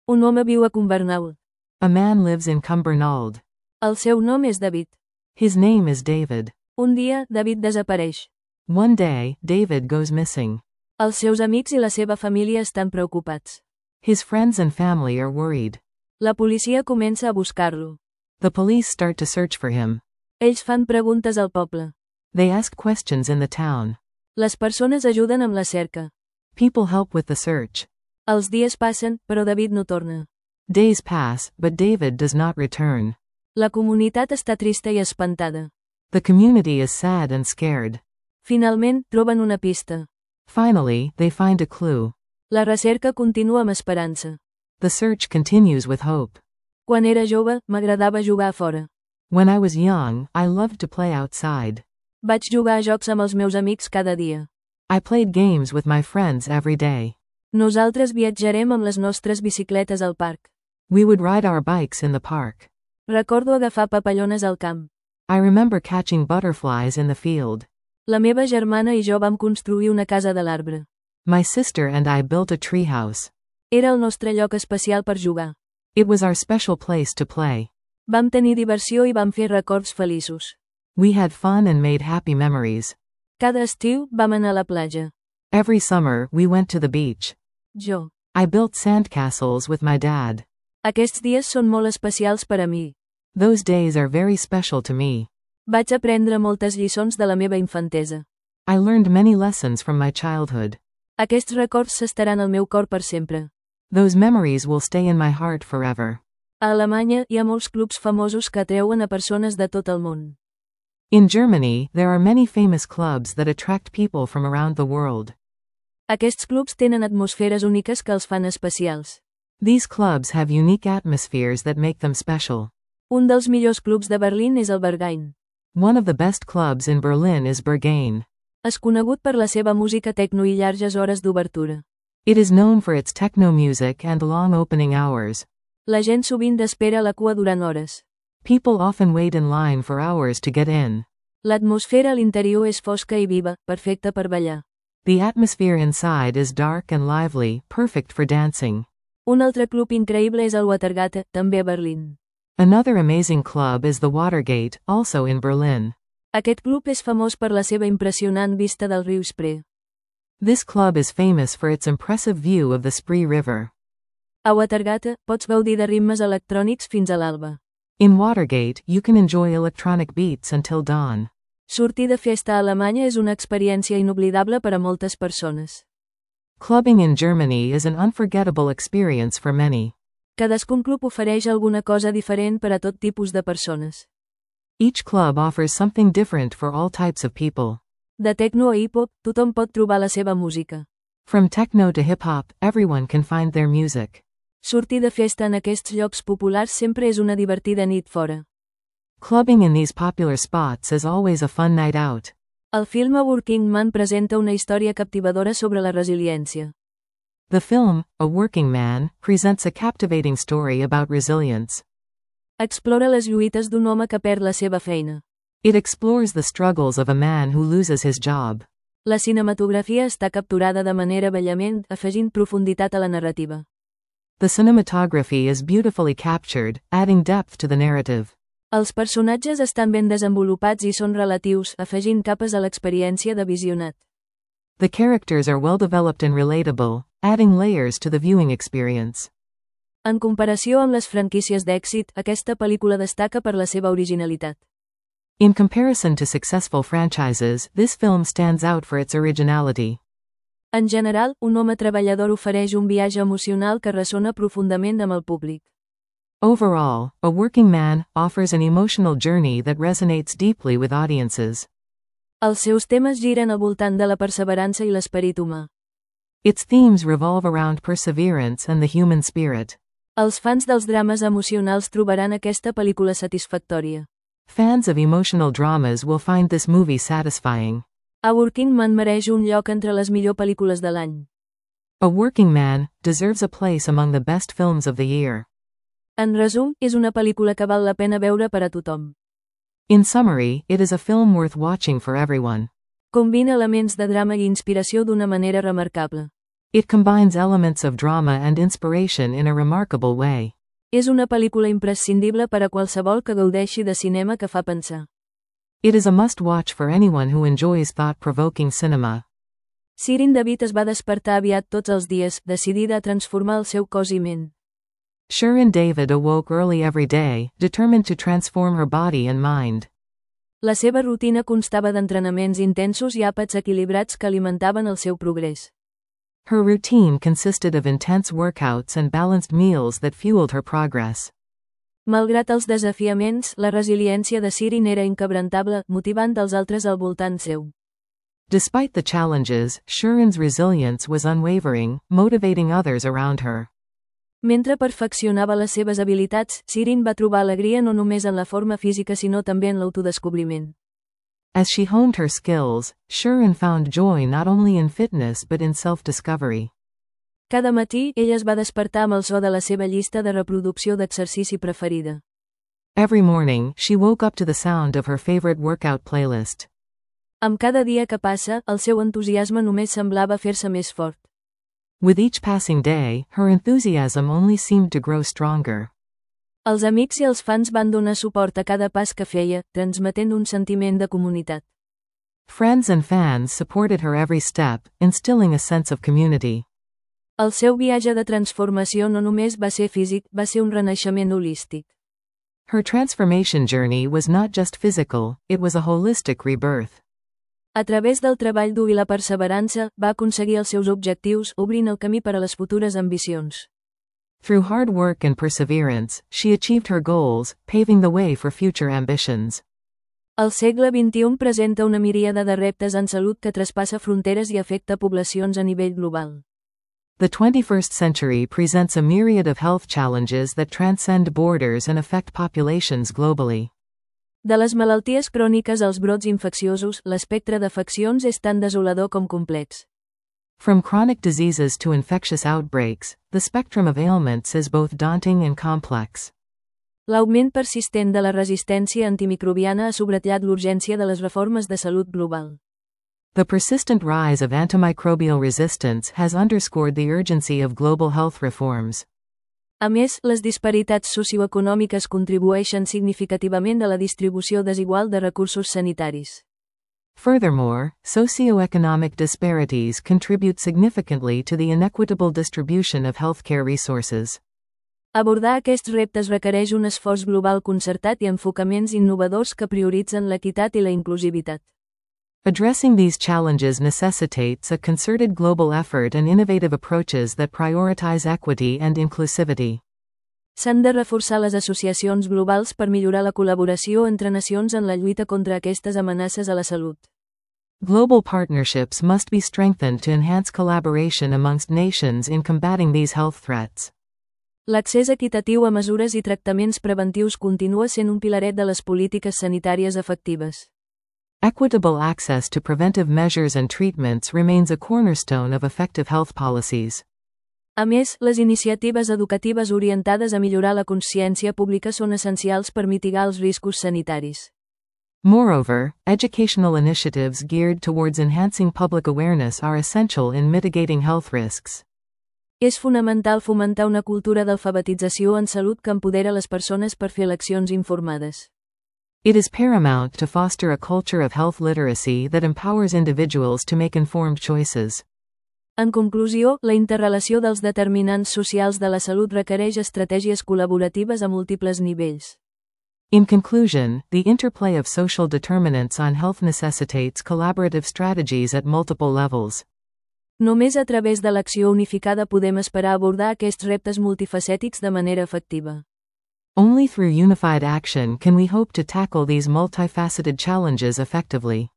Un home viu a Cumbernauld. A man lives in Cumbernauld. El seu nom és David. His name is David. Un dia, David desapareix. One day, David goes missing. Els seus amics i la seva família estan preocupats. His friends and family are worried. La policia comença a buscar-lo. The police start to search for him. Ells fan preguntes al poble. They ask questions in the town. Les persones ajuden amb la cerca. People help with the search. Els dies passen, però David no torna. Days pass, but David does not return. La comunitat està trista i espantada. The community is sad and scared. Finalment, troben una pista. Finally, they find a clue. La recerca continua amb esperança. The search continues with hope. Quan era jove, m'agradava jugar a fora. When I was young, I loved to play outside. Vaig jugar a jocs amb els meus amics cada dia. I played games with my friends every day. Nosaltres viatjarem amb les nostres bicicletes al parc. We would ride our bikes in the park. Recordo agafar papallones al camp. I remember catching butterflies in the field. La meva germana i jo vam construir una casa de l'arbre. My sister and I built a treehouse. Era el nostre lloc especial per jugar. It was our special place to play. Vam tenir diversió i vam fer records feliços. We had fun and made happy memories. Cada estiu, vam anar a la platja. Every summer, we went to the beach. Jo. I built sandcastles with my dad. Aquests dies són molt especials per a mi. Those days are very special to me. Vaig aprendre moltes lliçons de la meva infantesa. I learned many lessons from my childhood. Aquests records s'estaran al meu cor per sempre. Those memories will stay in my heart forever. A Alemanya, hi ha molts clubs famosos que atreuen a persones de tot el món. In Germany, there are many famous clubs that attract people from around the world. Aquests clubs tenen atmosferes úniques que els fan especials. These clubs have unique atmospheres that make them special. Un dels millors clubs de Berlín és el Berghain. One of the best clubs in Berlin is Berghain. És conegut per la seva música techno i llargues hores d'obertura. It is known for its techno music and long opening hours. La gent sovint espera a la cua durant hores. People often wait in line for hours to get in. L'atmosfera a l'interior és fosca i viva, perfecta per ballar. The atmosphere inside is dark and lively, perfect for dancing. Un altre club increïble és el Watergate, també a Berlín. Another amazing club is the Watergate, also in Berlin. Aquest club és famós per la seva impressionant vista del riu Spree. This club is famous for its impressive view of the Spree River. A Watergate, pots gaudir de ritmes electrònics fins a l'alba. In Watergate, you can enjoy electronic beats until dawn. Sortir de festa a Alemanya és una experiència inoblidable per a moltes persones. Clubbing in Germany is an unforgettable experience for many. Cadascun club ofereix alguna cosa diferent per a tot tipus de persones. Each club offers something different for all types of people. De techno a hip-hop, tothom pot trobar la seva música. From techno to hip-hop, everyone can find their music. Sortir de festa en aquests llocs populars sempre és una divertida nit fora. Clubbing in these popular spots is always a fun night out. El film A Working Man presenta una història captivadora sobre la resiliència. The film, A Working Man, presents a captivating story about resilience. Explora les lluites d'un home que perd la seva feina. It explores the struggles of a man who loses his job. La cinematografia està capturada de manera bellament, afegint profunditat a la narrativa. The cinematography is beautifully captured, adding depth to the narrative. Els personatges estan ben desenvolupats i són relatius, afegint capes a l'experiència de visionat. The characters are well developed and relatable, adding layers to the viewing experience. En comparació amb les franquícies d'èxit, aquesta pel·lícula destaca per la seva originalitat. In comparison to successful franchises, this film stands out for its originality. En general, un home treballador ofereix un viatge emocional que ressona profundament amb el públic. Overall, A Working Man offers an emotional journey that resonates deeply with audiences. Els seus temes giren al voltant de la perseverança i l'esperit humà. Its themes revolve around perseverance and the human spirit. Els fans dels drames emocionals trobaran aquesta pel·lícula satisfactòria. Fans of emotional dramas will find this movie satisfying. A Working Man mereix un lloc entre les millors pel·lícules de l'any. A Working Man deserves a place among the best films of the year. En resum, és una pel·lícula que val la pena veure per a tothom. In summary, it is a film worth watching for everyone. Combina elements de drama i inspiració d'una manera remarcable. It combines elements of drama and inspiration in a remarkable way. És una pel·lícula imprescindible per a qualsevol que gaudeixi de cinema que fa pensar. It is a must-watch for anyone who enjoys thought-provoking cinema. Shirin David es va despertar aviat tots els dies, decidida a transformar el seu cos i ment. Shirin David awoke early every day, determined to transform her body and mind. La seva rutina constava d'entrenaments intensos i àpats equilibrats que alimentaven el seu progrés. Her routine consisted of intense workouts and balanced meals that fueled her progress. Malgrat els desafiaments, la resiliència de Shirin era inquebrantable, motivant els altres al voltant seu. Despite the challenges, Shirin's resilience was unwavering, motivating others around her. Mentre perfeccionava les seves habilitats, Shirin va trobar alegria no només en la forma física sinó també en l'autodescobriment. As she honed her skills, Shirin found joy not only in fitness but in self-discovery. Cada matí, ella es va despertar amb el so de la seva llista de reproducció d'exercici preferida. Every morning, she woke up to the sound of her favorite workout playlist. Amb cada dia que passa, el seu entusiasme només semblava fer-se més fort. With each passing day, her enthusiasm only seemed to grow stronger. Els amics i els fans van donar suport a cada pas que feia, transmetent un sentiment de comunitat. Friends and fans supported her every step, instilling a sense of community. El seu viatge de transformació no només va ser físic, va ser un renaixement holístic. Her transformation journey was not just physical, it was a holistic rebirth. A través del treball dur i la perseverança, va aconseguir els seus objectius, obrint el camí per a les futures ambicions. Through hard work and perseverance, she achieved her goals, paving the way for future ambitions. El segle XXI presenta una miríada de reptes en salut que traspassa fronteres i afecta poblacions a nivell global. The 21st century presents a myriad of health challenges that transcend borders and affect populations globally. De les malalties cròniques als brots infecciosos, l'espectre d'afeccions és tan desolador com complex. From chronic diseases to infectious outbreaks, the spectrum of ailments is both daunting and complex. L'augment persistent de la resistència antimicrobiana ha subratllat l'urgència de les reformes de salut global. The persistent rise of antimicrobial resistance has underscored the urgency of global health reforms. A més, les disparitats socioeconòmiques contribueixen significativament a la distribució desigual de recursos sanitaris. Furthermore, socioeconomic disparities contribute significantly to the inequitable distribution of healthcare resources. Abordar aquests reptes requereix un esforç global concertat i enfocaments innovadors que prioritzen l'equitat i la inclusivitat. Addressing these challenges necessitates a concerted global effort and innovative approaches that prioritize equity and inclusivity. S'han de reforçar les associacions globals per millorar la col·laboració entre nacions en la lluita contra aquestes amenaces a la salut. Global partnerships must be strengthened to enhance collaboration amongst nations in combating these health threats. L'accés equitatiu a mesures i tractaments preventius continua sent un pilaret de les polítiques sanitàries efectives. Equitable access to preventive measures and treatments remains a cornerstone of effective health policies. A més, les iniciatives educatives orientades a millorar la consciència pública són essencials per mitigar els riscos sanitaris. Moreover, educational initiatives geared towards enhancing public awareness are essential in mitigating health risks. És fonamental fomentar una cultura d'alfabetització en salut que empodera les persones per fer eleccions informades. It is paramount to foster a culture of health literacy that empowers individuals to make informed choices. En conclusió, la interrelació dels determinants socials de la salut requereix estratègies col·laboratives a múltiples nivells. In conclusion, the interplay of social determinants on health necessitates collaborative strategies at multiple levels. Només a través de l'acció unificada podem esperar abordar aquests reptes multifacètics de manera efectiva. Only through unified action can we hope to tackle these multifaceted challenges effectively.